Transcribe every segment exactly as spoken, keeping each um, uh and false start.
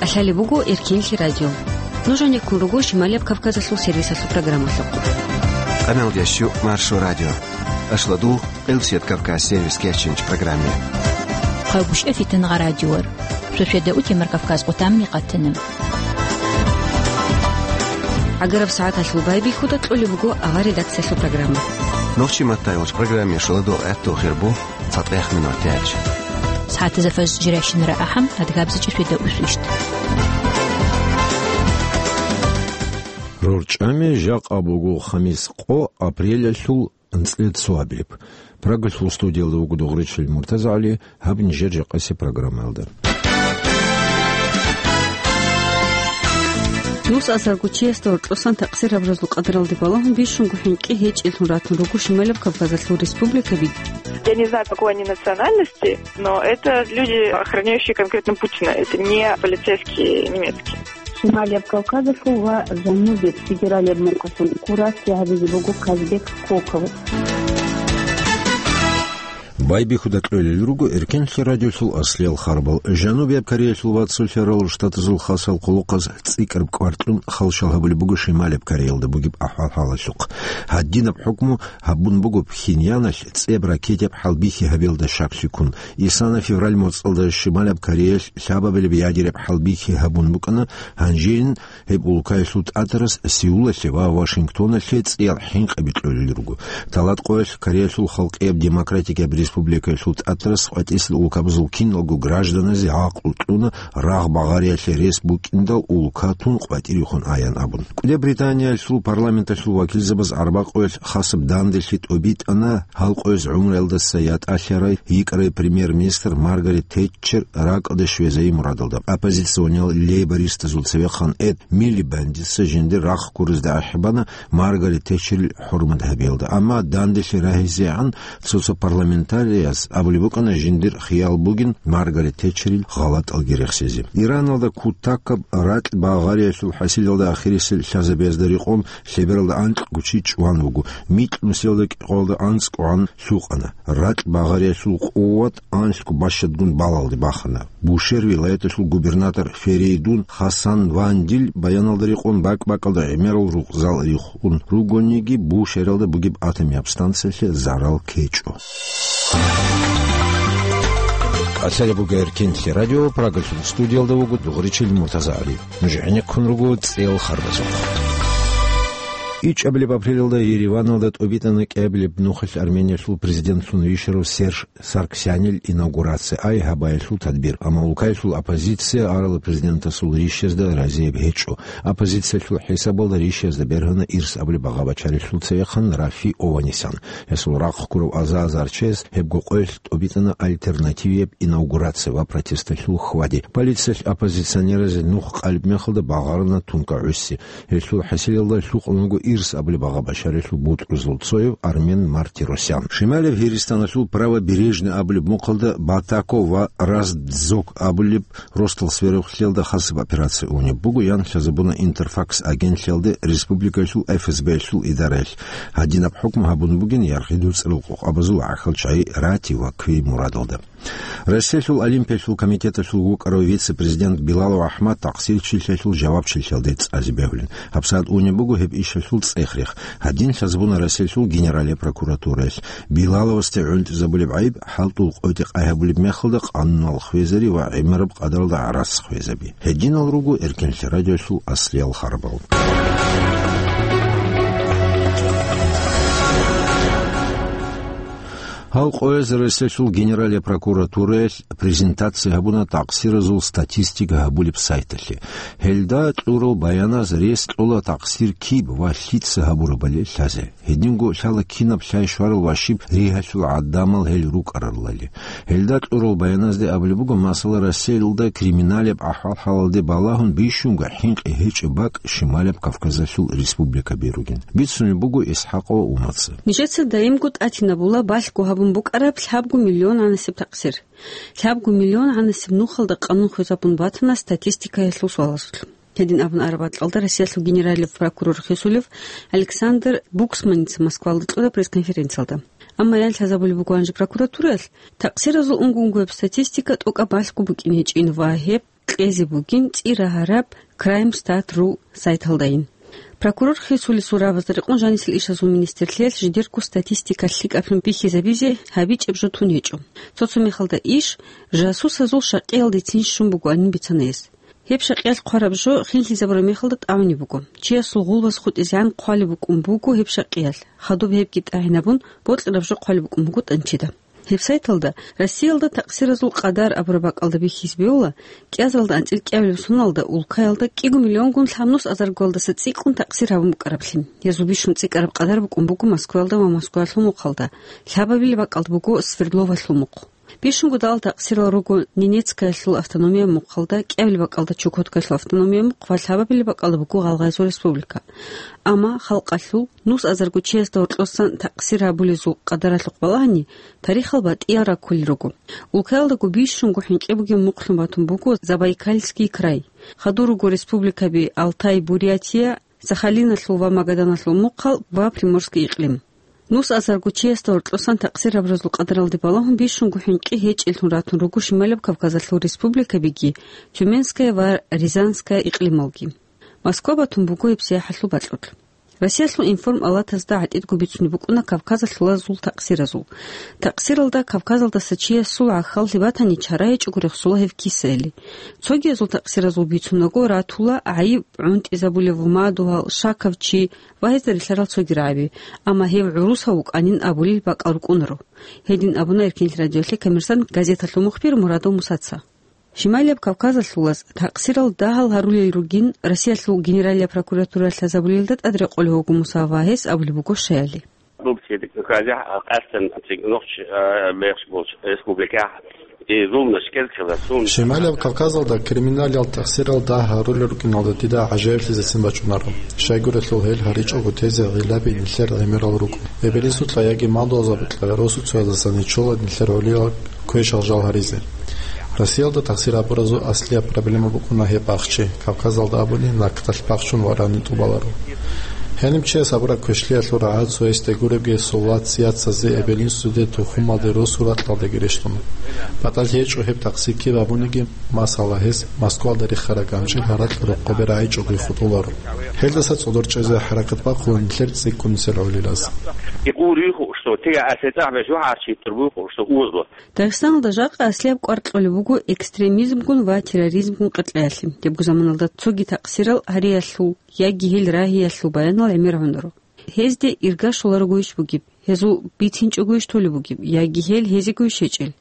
Лъалеб буго Эркенлъи радио. Нуж гьанеккун руго Шималияб Кавказалъул сервисалъул программалъухъ. Къамел ящу Маршо радио. Ашладул, Къилсият Кавказ сервис кечинч программе. Хъагушев Фитнагъа радиор. Шошеда утемар Кавказ къутамни къатана. Агараб сагӀаталъул байбихьуда кьолеб буго авар редакциялъул программа. Нохчи маттайвач программе шуладо гӀатту хирбу. ЦатӀех минутач. СагӀатазда фажр жирайщинара ахӀам, адгабзичӀеб шведа усвищт. РорчӀами жакъа буго хамис къо апрелалъул анцӀила цоабилеб. Прагалъул студиялда вуго Дугъричил МуртазагӀали, гьаб нижер жакъасеб программаялда. Нус азарго чиясда гьоркьосан такъсир гьабуразул къадаралде балагьун бищунго хӀинкъи гьечӀелъун ратун руго Шималаб Кавказалъул республикаби. Я не знаю, какой они национальности, но это люди, охраняющие конкретно Путина. Это не полицейские немецкие. Шималияб Кавказалъул ва Жанубияб федералияб мукъалъул курасе гьабизе буго Казбек Коков. Байбихьуда кьолел руго Эркенлъи радиолъул аслиял харбал. Жанубияб Кореялъул ва Цолъарал Штатазул хасал къулухъаз цӀикӀкӀараб кӀвар кьун халщал гьабулеб буго Шималияб Кореялда бугеб ахӀвал-хӀалалъухъ. Гьадинаб хӀукму гьабун буго Пхеньяналъ цӀеб ракетияб хӀалбихьи гьабиялда щаклъи ккун. Исана февраль моцӀалда Шималияб Кореялъ лъабабилеб ядераб хӀалбихьи гьабун букӀана, гьанжейин гьеб улкаялъул тӀатарас Сеулалъе ва Вашингтоналъе цӀиял хӀинкъи бикьулел руго. Талат къоялъ Кореялъул Халкъияб Демократикияб Республикаялъул тӀатарас къватӀисел улкабазул киналго гражданазе гӀакълу кьуна, рагъ багъариялъе рес букӀиндал улка тун къватӀирехун аян абун. КӀудияб Британиялъул парламенталъул вакилзабаз арбакъоялъ хасаб данделъи тӀобитӀана гьал къояз гӀумруялдаса ятӀалъарай йикӀарай премьер-министр Маргарет Тетчер ракӀалде щвезайи мурадалда. Оппозициониял лейбористазул цевехъан Эд Милибандица жиндир рахъ гурезда ахӀбана Маргарет Тетчерил хӀурмат гьабиялда. Амма данделъи рагьизегӀан цо-цо парламентарияс абулеб букӀана жиндир хиял бугин Маргарет Тетчерил гъалатӀалги рехсезе. Ираналда кутакаб ракь багъариялъул хӀасилалда ахирисел лъазабиязда рекъон лъебералда анкьго чи чӀван вуго, микь нусиялда кӀикъоялда анцӀгогӀан лъукъана. Ракь багъариялъул къуват анлъго бащадгун балалде бахана. Бушер вилаяталъул губернатор Ферейдун Хасан Вандил баяналда рекъон бакӀ-бакӀалда гӀемерал рукъзал рихун ругониги, Бушералда бугеб атомияб станциялъе зарал ккечӀо. Лъалеб буго Эркенлъи радио, Прагалъул студиялда вуго Дугъричил МуртазагӀали. Нуж гӀенеккун руго цӀел харбазухъ. ИчӀабилеб апрелалда Ереваналда тӀобитӀана кӀиабилеб нухалъ Армениялъул президентлъун вищарав Серж Сарксянил инаугурация, ай гьабаялъул тадбир. Амма улкаялъул оппозиция арала президентасул рищазда разияб гьечӀо. Оппозициялъул хӀисабалда рищазда бергьана ирс абулеб багъа бачарелъул цевехъан Рафи Ованесян. Гьесул рахъ гурав аза-азар чияс гьебго къоялъ тӀобитӀана альтернативияб инаугурация ва протесталъул хьвади. Полициялъ оппозиционеразе нух къалеб мехалда багъарана тункагӀуси. Гьелъул хӀасилалда лъукъун вуго ирс абулеб багъа башарилъул бутӀрузул цояв Армен Мартиросян. Шималияб Гьиристаналъул Правобережный абулеб мухъалда Батако ва Раздзок абулеб ростал сверухълъиялда хасаб операция унеб буго, ян лъазабуна Интерфакс агентлъиялда республикалъул ФСБ-лъул идараялъ. Гьадинаб хӀукму гьабун бугин яргъи дуцӀрал къокъабазул гӀахьал чагӀи рати ва кквей мурадалда. Россиялъул Олимпиялъул комитеталъул вукӀарав вице-президент Билалов АхӀмад такъсирчилъиялъул жавабчилъиялде цӀазе бегьулин. ГьабсагӀат унеб буго гьеб ишалъул цӀех-рех. Гьадин лъазабуна Россиялъул Генералияб прокуратураялъ. Билаловасде гӀунтӀизабулеб гӀайиб хӀалтӀул къотӀи къай гьабулеб мехалда къануналъ хвезари ва гӀемераб къадаралда гӀарац хвезаби. Гьединал руго Эркенлъи радиолъул аслиял харбал. Гьал къояз Россиялъул Генералияб прокуратураялъ презентация гьабуна такъсиразул статистика гьабулеб сайталъе. Гьелда кьурал баяназ рес кьола такъсир киб ва лъица гьабурабали лъазе. Гьединго лъала кинаб лъай-щварал ва щиб ригьалъул гӀадамал гьел рукӀаралали. Гьелда кьурал баяназде абулеб буго, масала, Россиялда криминалияб ахӀвал-хӀалалде балагьун бищунго хӀинкъи гьечӀеб бакӀ Шималияб Кавказалъул республикаби ругин. Бицунеб буго ИсхӀакъова Умаца. Нижеца даимго тӀатинабула балъго гьабун букӀараб лъабго миллион гӀанасеб такъсир. Лъабго миллион гӀанасеб нухалда къанун хвезабун батана статистикаялъул суалазулъ. Гьедин абун араб бакӀалда Россиялъул генералияб прокурор хисулев Александр Буксманица Москвалда кьураб пресс-конференциялда. Амма ян лъазабулеб буго гьанже прокуратураялъ, такъсиразул унго-унгояб статистика тӀокӀаб балъго букӀин гьечӀин ва гьеб кьезе бугин цӀи рагьараб Краймстат ру сайталдайин. Прокурор хисулесул рабазда рекъон жанисел ишазул министрлъиялъ жидерго статистика лъикӀаблъун бихьизабизе гьабичӀеб жо тун гьечӀо. Цо-цо мехалда иш жасусазул шакъиялдецин щун бугоанин бицана гьес. Гьеб шакъиялъ хъвараб жо хинлъизабураб мехалда тӀамунеб буго. Чиясул гъулбаз хутӀизегӀан хъвалеб букӀун буго гьеб шакъиялъ, хадуб гьебги тӀагӀинабун, бокьараб жо хъвалеб букӀун буго тӀанчида. Гьеб сайталда Россиялда такъсиразул къадар абураб бакӀалда бихьизе бевла, кӀиазалда анцӀил кӀиабилеб соналда улкаялда кӀиго миллионгун лъабнус азаргоялдаса цӀикӀкӀун такъсир гьабун букӀараблъи. Гьезул бищун цӀикӀкӀараб къадар букӀун буго Москваялда ва Москваялъул мухъалда, лъабабилеб бакӀалда буго Свердловалъул мухъ. Бищунго далал такъсирал руго Ненецкаялъул автономияб мухъалда, кӀиабилеб бакӀалда Чукоткаялъул автономияб мухъ ва лъабабилеб бакӀалда буго Гъалгъайзул республика. Амма халкъалъул нус азарго чиясда гьоркьосан такъсир гьабулезул къадаралъухъ балагьани, тарихал батӀиял раккулел руго. Улкаялдаго бищунго хӀинкъи бугеб мухълъун батун буго Забайкальский край. Хадур руго республикаби Алтай, Бурятия, Сахалиналъул ва Магаданалъул мухъал ва Приморский икълим. Нус азарго чиясда гьоркьосан такъсир абуразул къадаралде балагьун бищунго хӀинкъи гьечӀеллъун ратун руго Шималаб Кавказалъул республикабиги, Тюменская ва Рязанская икълималги. Москва батун буго гьеб сияхӀалъул бакьулъ. Россиялъул информалатазда гӀатӀидго бицунеб букӀуна кавказалъулазул такъсиразул. Такъсиралда Кавказалдаса чиясул гӀахьаллъи батани, чара гьечӀого рехсола гьеб кисайили. Цогиязул такъсиразул бицунаго ратула гӀайиб гӀунтӀизабулев ва мадугьал, шакав чи ва гьезда рилълъарал цоги рагӀаби, амма гьев гӀурусав вукӀанин абулел бакӀал рукӀунаро. Гьедин абуна Эркинлъи радиолъе «Коммерсант» газеталъул мухбир Мурадов Мусаца. Шималияб Кавказалъулаз такъсирал дагьал гьарулел ругин Россиялъул Генералияб прокуратуралъ лъазабулелда тӀад рекъолев вуго Муса ва гьес абулеб буго щаяли. Рубци хазяхӀ къасдан нухч бехш болч республикахь и зулмаш кӀелцила сун. Шималияб Кавказалда криминалиял такъсирал дагь гьарулел рукӀиналда дида гӀажаиблъизесин бачӀунаро. Щайгурелъул гьел гьаричӀого тезе гъилаби нилъер гӀемерал руго. Эбелисукьа яги мадугьалзабикьа росуцоязасан ничола нилъер гӀолиял квешал жал гьаризе. Россиялда такъсир абуразул аслияб проблема букӀуна гьеб бахчи, Кавказалда абуни, накдалъ бахчун варани тӀубаларо. Гьаниб чияс абураб квешлъиялъул рагӀад цоясде гуребги, сола цияцазе, эбел-инсуде, тухумалде, росу-ракьалдеги рещтӀуна. БатӀалъи гьечӀо гьеб такъсир киб абуниги, масала, гьес Москвалда рихараб ганчӀил гьаракь рокъобе рагӀичӀого хутӀуларо. Гьелдаса цӀодор чӀезе хӀаракат бахъула нилъер цӀикӀкӀунисел гӀолилаз. Икъу риху, что тига асетӀахӀ беш вахӀарчи турбухъу, что узло. Дагъистаналда жакъа аслияб кӀвар кьолеб буго экстремизмгун ва терроризмгун къеркьеялъе. Гьебго заманалда цоги такъсирал гьариялъул яги гьел рагьиялъул баянал гӀемер гьунаро. Гьезде ирга щоларогойищ бугеб, гьезул бицинчӀогойищ толеб бугеб, яги гьел гьезегойищ гьечӀел?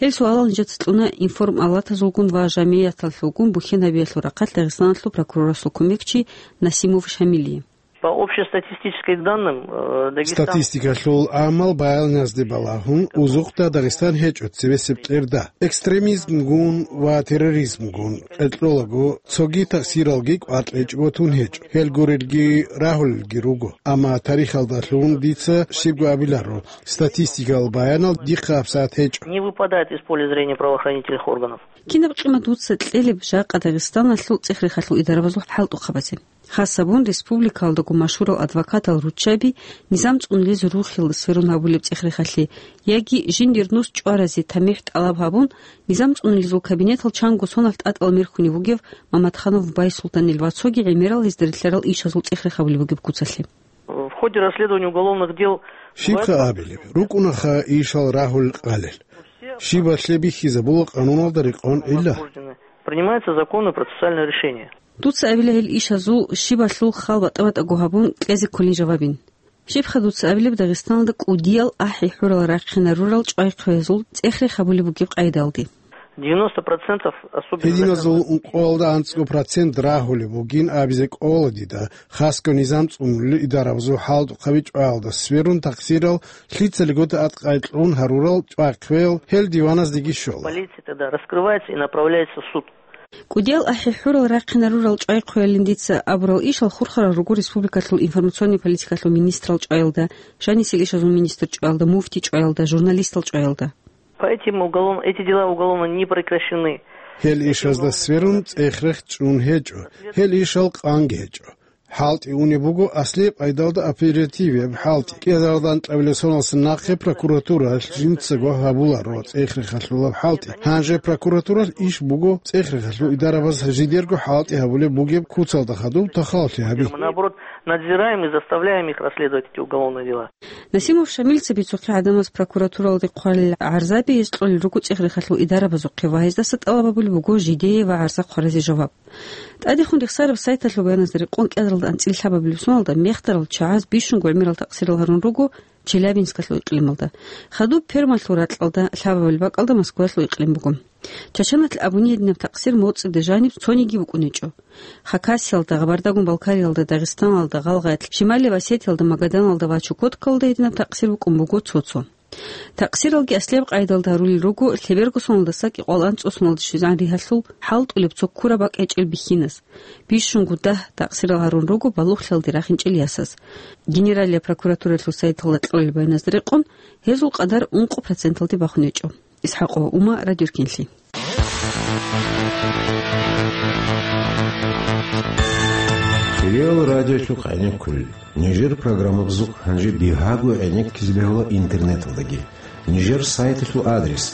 Гьел суалал нижеца кьуна информалатазулгун ва жамияталъулгун бухьен гьабиялъул рахъалъ Дагъистаналъул прокурорасул кумекчи Насимов Шамилие. По общестатистическим данным, э, Дагестан... Статистикалъул гӀамал баяназде балагьун, узухъда Дагъистан гьечӀо цебесеб кьерда. Экстремизмгун ва терроризмгун къеркьолаго, цоги такъсиралги кӀвар кьечӀого тун гьечӀо, гьел гурелги рагьулелги руго. Амма тарихалдалъун дица щибго абиларо, статистикал баянал дихъа гьабсагӀат гьечӀо. Не выпадает из поля зрения правоохранительных органов. Кинаб къимат дуца кьелеб жакъа Дагъистаналъул цӀех-рехалъул идарабазул хӀалтӀухъабазе? Хасабун республикалдаго машгьурал адвокатал руччаби низам цӀунулез рухел сверун гьабулеб цӀех-рехалъе яги жиндир нус чӀваразе тамихӀ тӀалаб гьабун, низам цӀунулезул кабинетал чанго соналъ тӀатӀал мерхьунев вугев Мамадханов Байсултанил ва цоги гӀемерал гьезда рилълъарал ишазул цӀех-рех гьабулеб бугеб куцалъе. В ходе расследования уголовных дел... Щибха абилеб, рукӀунаха ишал рагьул къалел. Щибалъе бихьизабула къануналда рекъон ила. Принимается законное процессуальное решение. Дуца абила гьел ишазул щибалъул хал батӀа-батӀаго гьабун кьезе кколин жавабин. Щибха дуца абилеб Дагъистаналда кӀудиял ахӀи-хӀурал рахъинарурал чӀвай-хъвезул цӀех-рех гьабулеб бугеб къайдалде? Девяносто процентов, особенно... Гьединазул ункъоялда анцӀго процент рагьулеб бугин абизе кӀола дида, хасго низам цӀунулел идарабазул хӀалтӀухъаби чӀваялда сверун такъсирал лъицалигода аткъай кьун гьарурал чӀвай-хъвел гьел диваназдеги щола. Полиция тогда раскрывается и направляется в суд. КӀудиял ахӀи-хӀурал рахъинарурал чӀвай-хъвеялин дица абурал ишал хурхарал руго республикалъул информационный политикалъул министрал чӀваялда, жанисел ишазул министр чӀваялда, муфти чӀваялда, журналистал чӀваялда. По этим уголовно, эти дела уголовно не прекращены. Гьел ишазда сверун цӀех-рех чӀун гьечӀо, гьел ишал къанги гьечӀо. ХӀалтӀи унеб буго аслияб къайдалда оперативияб хӀалтӀи. КӀиазаралда анкьабилеб соналдаса нахъе прокуратуралъ жинцаго гьабуларо цӀех-рехалъулаб хӀалтӀи. Гьанже прокуратуралъ иш буго цӀех-рехалъул идарабаз жидерго хӀалтӀи гьабулеб бугеб куцалда хадуб тахаллъи гьаби. Мы, наоборот, надзираем и заставляем их расследовать эти уголовные дела. Насимов Шамилица бицухъе гӀадамаз прокуратуралде хъвалел гӀарзаби гьез кьолел руго цӀех-рехалъул идарабазухъе ва гьездаса тӀалаб гьабулеб буго жидее ва гӀарза хъваразе жаваб. ТӀадехун рехсараб сайталъул баяназда рекъон кӀиазаралда анцӀила лъабабилеб соналда мехтарал чагӀаз бищунго гӀемерал такъсирал гьарун руго Челябинскалъул икълималда. Хадуб Пермалъул ракьалда лъабабилеб бакӀалда Москваялъул икълим буго. Чачаналъ абуни гьединаб такъсир моцӀида жаниб цониги букӀунечӀо. Хакасиялда, Гъабардагун-Балкариялда, Дагъистаналда, Гъалгъаялъ, Щималияб Осетиялда, Магаданалда ва Чукоткаялда гьединаб такъсир букӀун буго цо-цо. Такъсиралги аслияб къайдалда гьарулел руго лъеберго соналдаса кӀикъоялда анцӀго соналда щвезегӀан ригьалъул хӀалтӀулеб цо ккураб бакӀ гьечӀел бихьинас. Бищунго дагь такъсирал гьарун руго балугълъиялде рахинчӀел ясаз. Генералияб прокуратуралъул сайталда кьолел баяназда рекъон, гьезул къадар ункъо проценталде бахун гьечӀо. ИсхӀакъова Ума, Радио Эркенлъи. Кирил радиолъухъ гӀенеккулел. Нижер программабазухъ гьанже бигьаго гӀенеккизе бегьула интернеталдаги. Нижер сайталъул адрес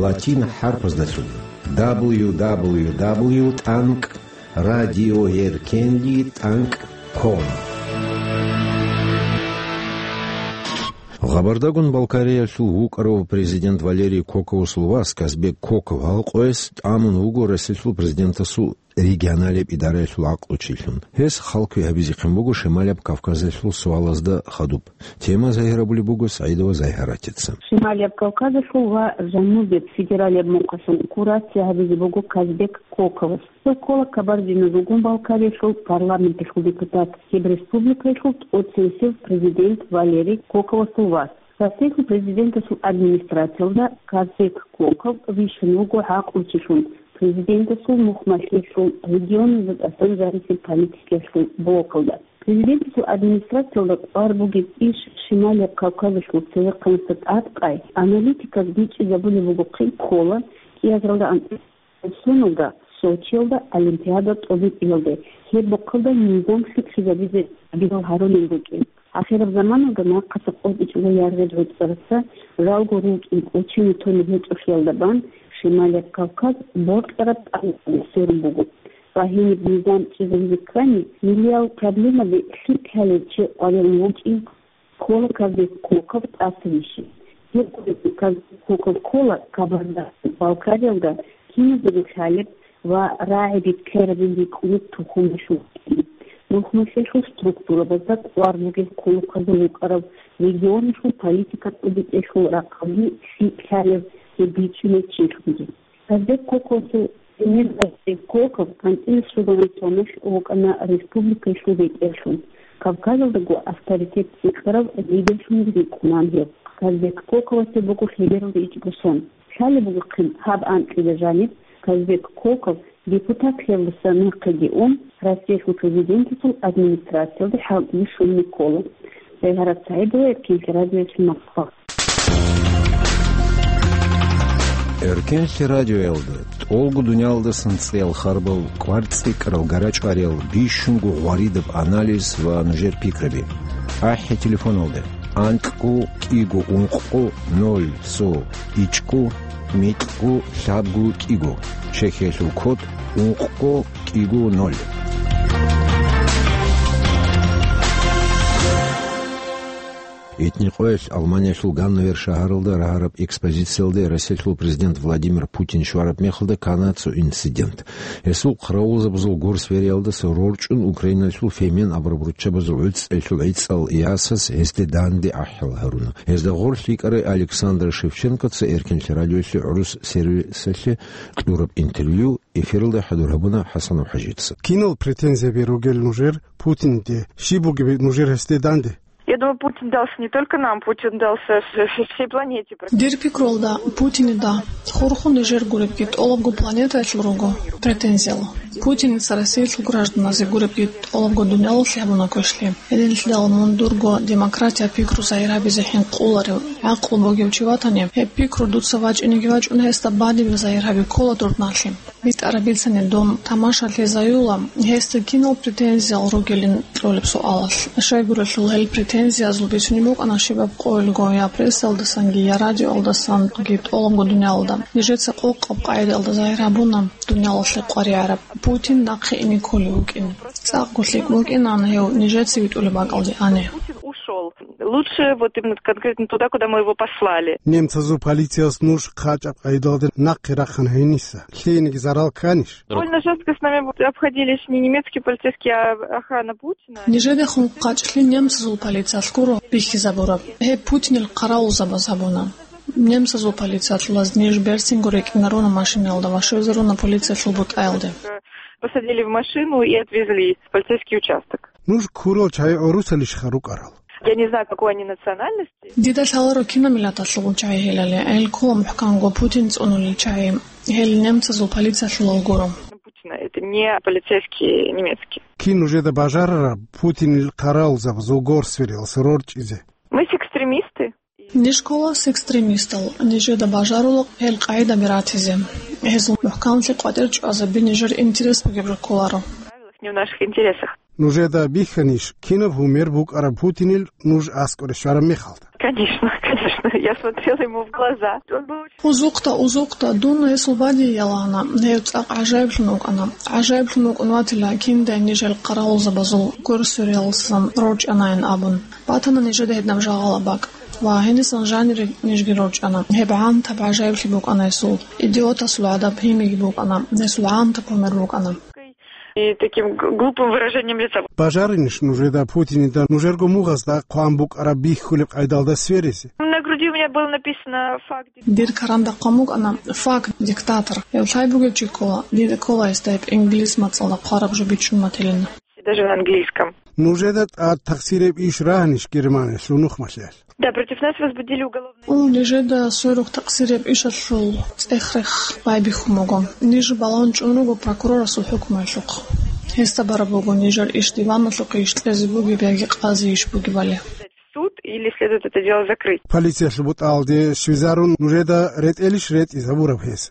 латин хӀарпаздалъун: дабл ю дабл ю дабл ю тӀанкӀ радиоэркенли тӀанкӀ ком. Гъабардагун-Балкариялъул вукӀарав президент Валерий Коковасул вас Казбек Коков гьалкъояс тӀамун вуго Россиялъул президентасул регионалияб идараялъул гӀакълучилъун. Гьес халкъи гьабизехъин буго Шималияб Кавказалъул суалазда хадуб. Тема загьирабулеб буго СагӀидова Загьаратица. Шималияб Кавказалъул ва Жанубияб федералияб мухъалъун курация гьабизе буго Казбек Коковас. Гьев ккола Кабардино-Дугун-Балкариялъул парламенталъул депутат, гьеб республикаялъул тӀоцевесев президент Валерий Коковасул вас. Россиялъул президентасул администрациялда Казбек Коков вищун вуго гӀакълучилъун президентасул мухъмалъиялъул регионалда тӀасан зарисеб политикаялъул блокалда. Президентасул администрациялда кӀвар бугеб иш Шималияб Кавказалъул цевехъанасда тӀадкъай аналитиказ бичӀчӀизабулеб бугохъин ккола кӀиазаралда анцӀила соналда Сочиялда Олимпиада тӀобитӀиялде, гьеб бокалда низам лъикӀлъизабизе гьабилал гьарулел рукӀин. Ахираб заманалда нахъаса къотӀичӀого яргъел гӀуцӀараса жалго рукӀин кӀочине толеб гьечӀолъиялда бан Шималияб Кавказ бокьараб тӀамуде сверун буго. Ва гьениб низам чӀезабизе ккани, миллиял проблемаде лъикӀ лъалев чи къваригӀун вукӀин ккола Казбек Коков тӀаса вищи. Гьеб Казбек Коков ккола Кабарда-Балкариялда киназего лъалеб ва рагӀи биткайрабин рикӀкӀунеб тухумалъул вукӀин. Мухъмалъиялъул структурабазда кӀвар бугеб ккола кквазул вукӀарав регионалъул политика тӀубитӀелъул рахъалги лъикӀ лъалев гьеб бичӀчӀулев чилъунги. Казбек Коковасул эмир Казбек Коков анцӀила щугони соналъ вукӀана республикаялъул бетӀерлъун, Кавказалдаго авторитет цӀикӀкӀарав лидерлъунги рикӀкӀунан гьев. Казбек Коковасе буго лъебералда ичӀго сон. Лъалеб бугохъин гьаб анкьида жаниб Казбек Коков депутатлъиялдаса нахъеги ун, Россиялъул президентасул администрациялде хӀалтӀизе щвезе ккола. Загьарат СагӀидова, Эркенлъи радиоялъул Москва. Эркенлъи радиоялда тӀолго дуниялалдасан цӀеял харбал, кӀвар цӀикӀкӀарал, гарачӀвариял, бищунго гъваридаб анализ ва нужер пикраби. АхӀи телефоналда: анкьго кӀиго ункъго ноль цо ичӀго микьго лъабго кӀиго. Чехиялъул код: ункъго кӀиго ноль. Итни къоялъ Алманиялъул Ганновер шагьаралда рагьараб экспозициялде Россиялъул президент Владимир Путин щвараб мехалда ккана цо инцидент. Гьесул хъаравулзабазул гур свериялдаса рорчӀун Украиналъул фемен абураб руччабазул гӀицӀалъул гӀицӀал ясаз гьесде данде ахӀил гьаруна. Гьезда гъорлъ йикӀарай Александр Шевченкоца Эркенлъи радиоялъе гӀурус сервисалъе кьураб интервью эфиралда хӀадур гьабуна ХӀасанов ХӀажица. Кинал претензияби ругел нужер Путинде? Щиб бугеб нужер гьесде данде? Я думаю, Путин дался не только нам, Путин дался вс-, вс-, всей планете. Дир пикрулда, Путинида Хурхун нижер гуребги тӀолабго планетаялъул руго претензиял. Путиница Россиялъул гражданазе гуребги тӀолабго дуниялалъе гьабуна квешлъи. Гьединлъидал мун дурго демократия пикру загьир гьабизе хӀинкъуларев, гӀакълу бугев чи ватани, гьеб пикру дуца вачӀинеги вачӀун, гьесда бадиб загьир гьаби ккола дурдналъи. БитӀараб бицани дун тамашалъи заюла, гьесда кинал претензиял ругилин кьолеб суалалъ. Щайгурелъул гьел претензиязул бицунеб букӀана щибаб къойилго я прессалдасанги, я радиоялдасанги тӀолабго дуниялалда. Нижеца къокъаб къагӀидаялда загьир гьабуна дуниялалъе къваригӀараб Путин нахъе ине кколев вукӀин. ЦӀакъго лъикӀ букӀинан гьев нижеца витӀулеб бакӀалде ане. Ушел. Лучше вот именно конкретно туда, куда мы его послали. Немцазул полициялъ нуж хъачӀаб къайдалда нахъе рахъана гьениса. Лъиениги зарал кканищ? Довольно жестко с нами вот обходились не немецкие полицейские, а охрана Путина. Нижедехун хъачӀлъи немцазул полициялъ гуро бихьизабураб. Гьеб Путинил хъаравулзабаз гьабуна. Немцазул полициялъулаз ниж берцинго рекӀинаруна машинаялда ва щвезаруна полициялъул бутӀаялде. Посадили в машину и отвезли в полицейский участок. Нуж ккурал чагӀи гӀурусалищха рукӀарал? Я не знаю, какой они национальности. Дида лъаларо кинаб миллаталъул чагӀи гьелали, гьел ккола мухӀканго Путин цӀунулел чагӀи, гьел немцазул полициялъулал гуро. Путина, это не полицейские немецкие. Кин нужеда бажарараб Путинил хъаравулзабазул горсвериялъ рорчӀизе? Мы с экстремисты. Ниж ккола с экстремистал, нижеда бажарула гьел къагӀидаби ратизе. Гьезул мухӀканлъи къватӀир чӀвазаби нижер интерес бугеб жо кколаро. Не в наших интересах. Нужеда бихьанищ, кинаб гьумер букӀараб Путинил нуж аскӀоре щвараб мехалда? Конечно, конечно. Я смотрела ему в глаза. Он был очень... Узухъа, узухъа, дун гьесул бадиялана, гьев цӀакъ гӀажаиблъун вукӀана. ГӀажаиблъун вукӀун ватила, киндай нижел хъаравулзабазул горсвериялъасан рорчӀанайин абун. Батана нижеда гьединаб жагъала бакӀ. Ва гьенисан жанире нижги рорчӀана. Гьеб гӀантаб гӀажаиблъи букӀана гьесул. Идиотасул гӀадаб гьимиги букӀана. Гьесул гӀантаб гьумер букӀана. И таким г-, глупым выражением лица. Бажаринищ нужеда Путинида нужерго мугъазда хъван букӀараб бихьулеб къайдалда сверизе? На груди у меня было написано факт. Дир каранда хъван букӀана факт диктатор. Гьев лъай бугев чи ккола, дида ккола гьесда гьеб инглис мацӀалда хъвараб жо бичӀчӀун батилин. Даже на английском. Нужеда тӀад такъсирияб иш рагьанищ Германиялъул нухмалъиялъ? Да, против нас возбудили уголовное... О, нижеда сверухъ такъсирияб ишалъул цӀех-рех байбихьун буго. Ниж балагьун чӀун руго прокурорасул хӀукмуялъухъ. Гьесда бараб буго нижер иш диваналъухъе иш кьезе бугеб яги къазие иш бугебали. В суд или следует это дело закрыть? Полициялъул бутӀалде щвезарун нужеда ретӀелищ ретӀизабураб гьес?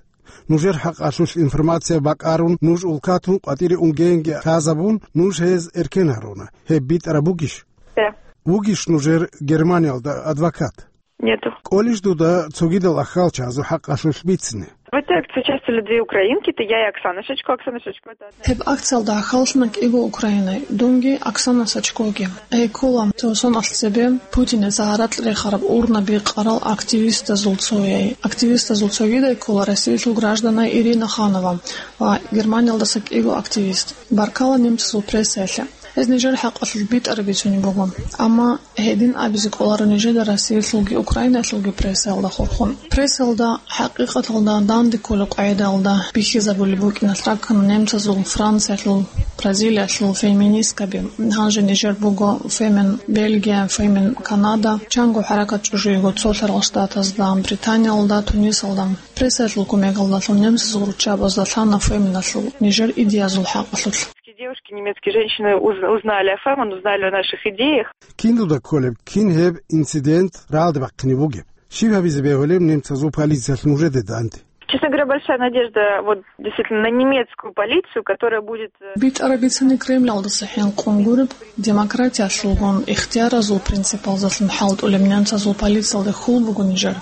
Нужер хӀакъалъулъ информация бакӀарун, нуж улкатун къватӀире унгеенги лъазабун, нуж гьез эркен гьаруна. Гьеб битӀараб бугищ? Да. Вугищ нужер Германиялда адвокат? Нету. КӀолищ дуда цогидал ахьалчазул хӀакъалъулъ бицине? В этой акции участвовали две украинки, это я и Оксана Шачко. Оксана Шачко, это одна... Гьеб акциялда ахьаллъана кӀиго украинай, дунги Оксана Сачкоги. Гьей ккола цо соналъ цебе Путинил гьаракь рехараб урнаби къарал активистазул цояй. Активистазул цогидай ккола Россиялъул гражданай Ирина Ханова ва Германиялдаса кӀиго активист. Баркала немцазул прессаялъе. Гьез нижер хӀакъалъулъ битӀараб бицунеб буго. Амма гьедин абизе кӀоларо нижеда Россиялъулги Украинаялъулги прессаялда хурхун. Прессаялда хӀакъикъаталда данде кколеб къагӀидаялда бихьизабулеб букӀиналъ раккана немцазул, Франциялъул, Бразилиялъул феминисткаби. Гьанже нижер буго Фемен Бельгия, Фемен Канада, чанго хӀаракат чӀужу йиго цо лъарал штатазда, Британиялда, Тунисалда. Прессаялъул кумекалдалъун немцазул руччабазда лъана Феменалъул нижер идеязул хӀакъалъулъ. Девушки, немецкие женщины уз-, узнали о Фемен, узнали о наших идеях. Кин дуда кколеб, кин гьеб инцидент рагӀалде бахъине бугеб? Щиб гьабизе бегьулеб немцазул полициялъ нужеде данде? Честно говоря, большая надежда вот действительно на немецкую полицию, которая будет, э... БитӀараб бицани Кремлалдаса хӀинкъун гуреб, демократиялъулгун ихтияразул принципалдалъун хӀалтӀулеб немцазул полициялде хьул буго нижер.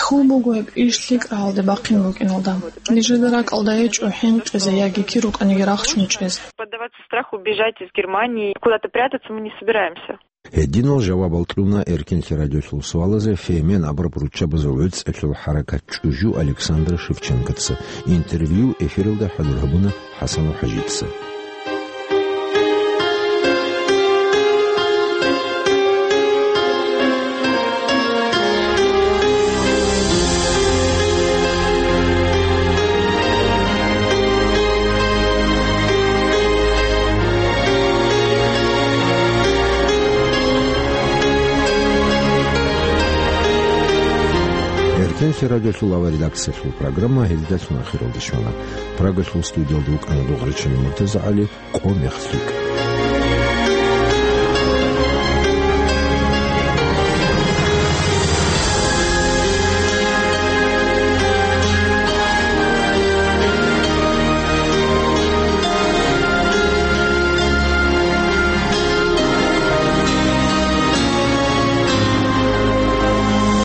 Хьул буго гьеб иш лъикӀ рагӀалде бахъин букӀиналда. Нижеда ракӀалда гьечӀо хӀинкъизе яги кир рукӀаниги рахчун чӀезе. Поддаваться страху, бежать из Германии, куда-то прятаться мы не собираемся. Гьединал жавабал кьуна Эркинлъи радиолъул суалазе Фемен абураб руччабазул гӀуцӀиялъул хӀаракат чӀужу Александра Шевченкоца. Интервью эфиралда хӀалур гьабуна ХӀасанов ХӀажица. Цинги радиолъул авария редакциялъул программа гьелдалъун ахиралде щвана. Прагалъул студиялда вукӀана Дугъричина МуртазагӀали, къо мехалъ рикӀкӀ.